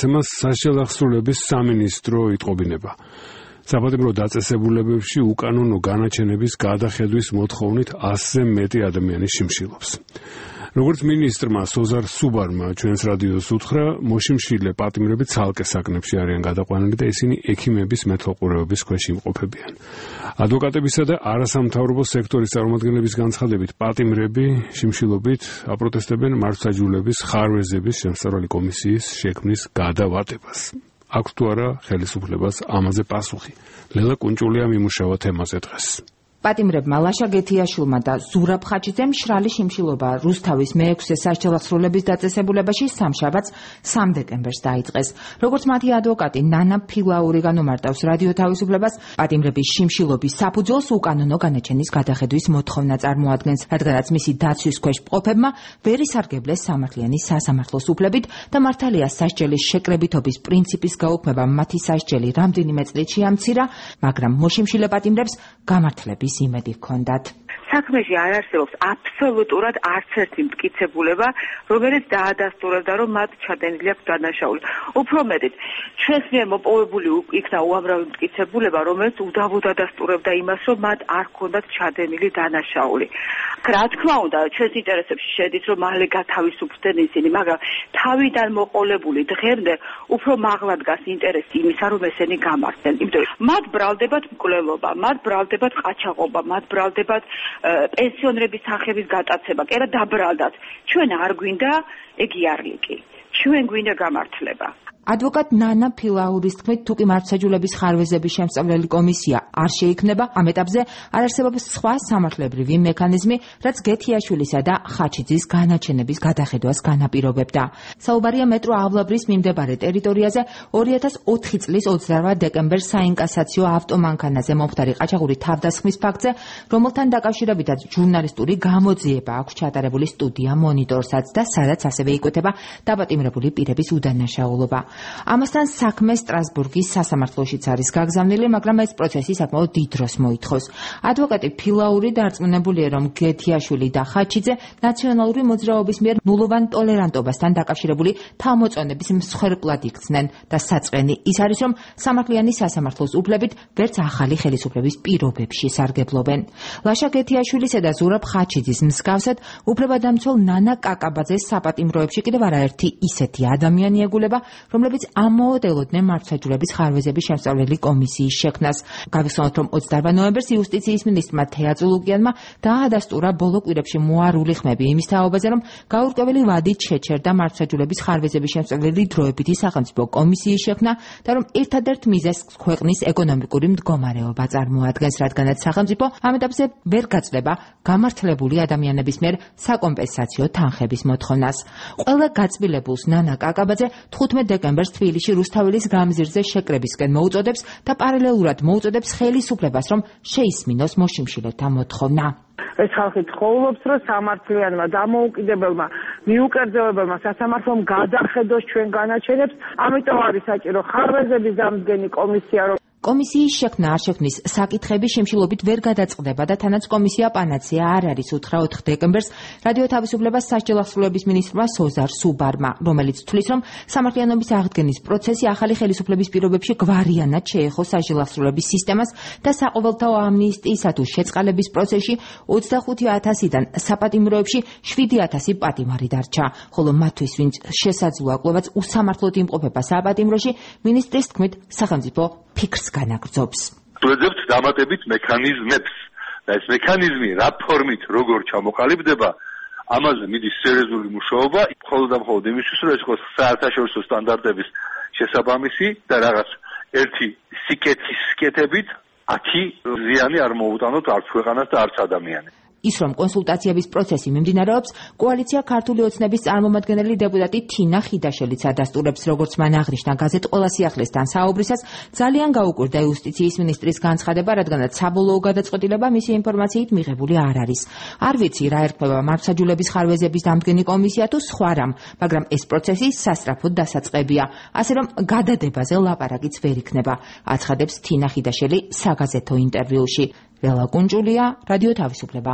გადაცემას საშელახსრულების სამინისტრო იტყობინება. საპატიმრო დაწესებულებებში უკანონო განაჩენების გადახედვის მოთხოვნით 100-ზე მეტი ადამიანი შიმშილობს. როგორც მინისტრმა სოზარ სუბარმა ჩვენს რადიოს უთხრა, მოშიმშილე პატიმრები ცალკე საკნებში არიან გადაყვანილი და ისინი ექიმების მეთვალყურეობის ქვეშ იმყოფებიან. ადვოკატებისა და არასამთავრობო სექტორის წარმომადგენლების განცხადებით, პატიმრები შიმშილობით აპროტესტებენ მართლმსაჯულების ხარვეზების შემსწავლელი კომისიის შექმნის გადავატებას. აქვს თუ არა ხელისუფლებას ამაზე პასუხი? ლელა კუნჭულია მიმუშავა თემაზე დღეს. პატიმრებმა ლაშა გეთიაშვილმა და ზურაბ ხაჩიძემ მშრალი შიმშილობა რუსთავის მე-6 საშელახსრულების დაწესებულებაში სამშაბათს 3 დეკემბერს დაიწყეს. როგორც მათი ადვოკატი ნანა ფილაური განუმარტავს რადიო თავისუფლებას, პატიმრების შიმშილობის საფუძველს უკანონო განაჩენის გადახედვის მოთხოვნა წარმოადგენს, რადგანაც მისი დაცვის ქვეშ მყოფებმა ვერ ისარგებლეს სამართლიანი სასამართლოს უფლებით და მართალია სასჯელის შეკრებითობის პრინციპის გაუქმება მათი სასჯელი რამდენიმე წლით შეამცირა, მაგრამ მოშიმშილე პატიმრებს გამართლების იმედი ჰქონდათ. საქმეში არ არსებობს აბსოლუტურად არც ერთი მტკიცებულება, რომელიც დაადასტურებდა, რომ მათ ჩადენილი აქვს დანაშაული. უფრო მეტიც, ჩვენს მიერ მოპოვებული იქნა უამრავი მტკიცებულება, რომელიც უდავოდ ადასტურებდა იმას, რომ მათ არ ჰქონდათ ჩადენილი დანაშაული. რა თქმა უნდა, ჩვენს ინტერესებში შედის, რომ მალე გათავისუფლდნენ ისინი, მაგრამ თავიდან მოყოლებული დღემდე უფრო მაღლა დგას ინტერესი იმისა, რომ ესენი გამართდნენ. იმიტომ რომ მათ ბრალდებათ მკვლელობა, მათ ბრალდებათ ყაჩაღობა, მათ ბრალდებათ პენსიონერების სახების გატაცება, კი არა დაბრალდათ. ჩვენ არ გვინდა ეგიარლიკი. ჩვენ გვინდა გამართლება. ადვოკატ ნანა ფილაურის თქმით, თუკი მართლმსაჯულების ხარვეზების შემსწავლელი კომისია არ შეიქმნება, ამ ეტაპზე არ არსებობს სხვა სამართლებრივი მექანიზმი, რაც გეთიაშვილისა და ხაჩიძის განაჩენების გადახედვას განაპირობებდა. საუბარია მეტრო ავლაბრის მიმდებარე ტერიტორიაზე 2004 წლის 28 დეკემბერს საინკასაციო ავტომანქანაზე მომხდარი ყაჩაღური თავდასხმის ფაქტზე, რომელთან დაკავშირებითაც ჟურნალისტური გამოძიება აქვს ჩატარებული სტუდია მონიტორსაც და სადაც ასევე იკვეთება დაპატიმრებული პირების უდანაშაულობა. ამასთან საქმე სტრასბურგის სასამართლოშიც არის გაგზავნილი, მაგრამ ეს პროცესი საკმაოდ დიდ დროს მოითხოვს. ადვოკატი ფილაური დარწმუნებულია, რომ გეთიაშვილი და ხაჩიძე ნაციონალური მოძრაობის მიერ ნულოვან ტოლერანტობასთან დაკავშირებული თავმოწონების მსხვერპლად იქცნენ და საწყენი ის არის, რომ სამართლიანი სასამართლოს უფლებით ვერც ახალი ხელისუფლების პირობებში სარგებლობენ. ლაშა გეთიაშვილისა და ზურაბ ხაჩიძის მსგავსად უფლებადამცველ ნანა კაკაბაძეს საპატიმროებში კიდევ არაერთი ისეთი ადამიანი ეგულება, რომლებიც ამოოდელოდნენ მართლმსაჯულების ხარვეზების შემსწავლელი კომისიის შექმნას. გავიხსენოთ, რომ 28 ნოემბერს იუსტიციის მინისტრმა თეა წულუკიანმა დაადასტურა ბოლო კვირებში მოარული ხმები იმის თაობაზე, რომ გაურკვეველი ვადით შეჩერდა მართლმსაჯულების ხარვეზების შემსწავლელი დროებითი სახელმწიფო კომისიის შექმნა და რომ ერთადერთ მიზეზს ქვეყნის ეკონომიკური მდგომარეობა წარმოადგენს, რადგანაც სახელმწიფო ამ ეტაპზე ვერ გაწდება გამართლებული ადამიანების მიერ საკომპენსაციო თანხების მოთხოვნას. ყველა გაწმილებულს ნანა კაკაბაძე 15 დეკემბერს თბილისში რუსთაველის გამზირზე შეკრებისკენ მოუწოდებს და პარალელურად მოუწოდებს ხელისუფლებას, რომ შეისმინოს მოშიმშილეთა მოთხოვნა. ეს ხალხი ცხოვრობს, რომ სამართლიანმა დამოუკიდებელმა მიუკერძოებელმა სასამართლომ გადახედოს ჩვენ განაჩენებს, ამიტომ არის საჭირო ხარვეზების დამდგენი კომისია, რომ კომისიის შექმნა არ შექმნის საკითხები შიმშილობით ვერ გადაწყდება და თანაც კომისია პანაცეა არ არის, უთხრა 4 დეკემბერს რადიო თავისუფლებას სასჯელახსრულების მინისტრმა სოზარ სუბარმა, რომელიც თვლის, რომ სამართლიანობის აღდგენის პროცესი ახალი ხელისუფლების პირობებში გვარიანად შეეხო სასჯელახსრულების სისტემას და საყოველთაო ამნისტიისა თუ შეწყალების პროცესში 25,000-დან საპატიმროებში 7,000 პატიმარი დარჩა, ხოლო მათთვის, ვინც შესაძლოა კვლავაც უსამართლოდ იმყოფება საპატიმროში, მინისტრის თქმით, სახელმწიფო ფიქრს განაგრძობს. ვეძებთ დამატებით მექანიზმებს და ეს მექანიზმი რა ფორმით როგორ ჩამოყალიბდება, ამაზე მიდის სერიოზული მუშაობა, მხოლოდ და მხოლოდ იმისთვის, რომ ეს იყოს საერთაშორისო სტანდარტების შესაბამისი და რაღაც ერთი სიკეთის სკეთებით აქი ზიანი არ მოუტანოთ არც ქვეყანას და არც ადამიანებს. ის რომ კონსულტაციების პროცესი მიმდინარეობს, კოალიცია ქართული ოცნების წარმომადგენელი დეპუტატი თინა ხიდაშელიც ადასტურებს, როგორც მან აღნიშნა გაზეთ ყველა სიახლესთან საუბრისას, ძალიან გაუკვირდა იუსტიციის მინისტრის განცხადება, რადგანაც საბოლოო გადაწყვეტილება მისი ინფორმაციით მიღებული არ არის. არ ვიცი რა ერქმევა მართლმსაჯულების ხარვეზების დამდგენი კომისია თუ სხვა რამ, მაგრამ ეს პროცესი სასწრაფოდ დასაწყებია, ასე რომ გადადებაზე ლაპარაკიც ვერ იქნება, აცხადებს თინა ხიდაშელი საგაზეთო ინტერვიუში. ლელა კუნჭულია, რადიო თავისუფლება.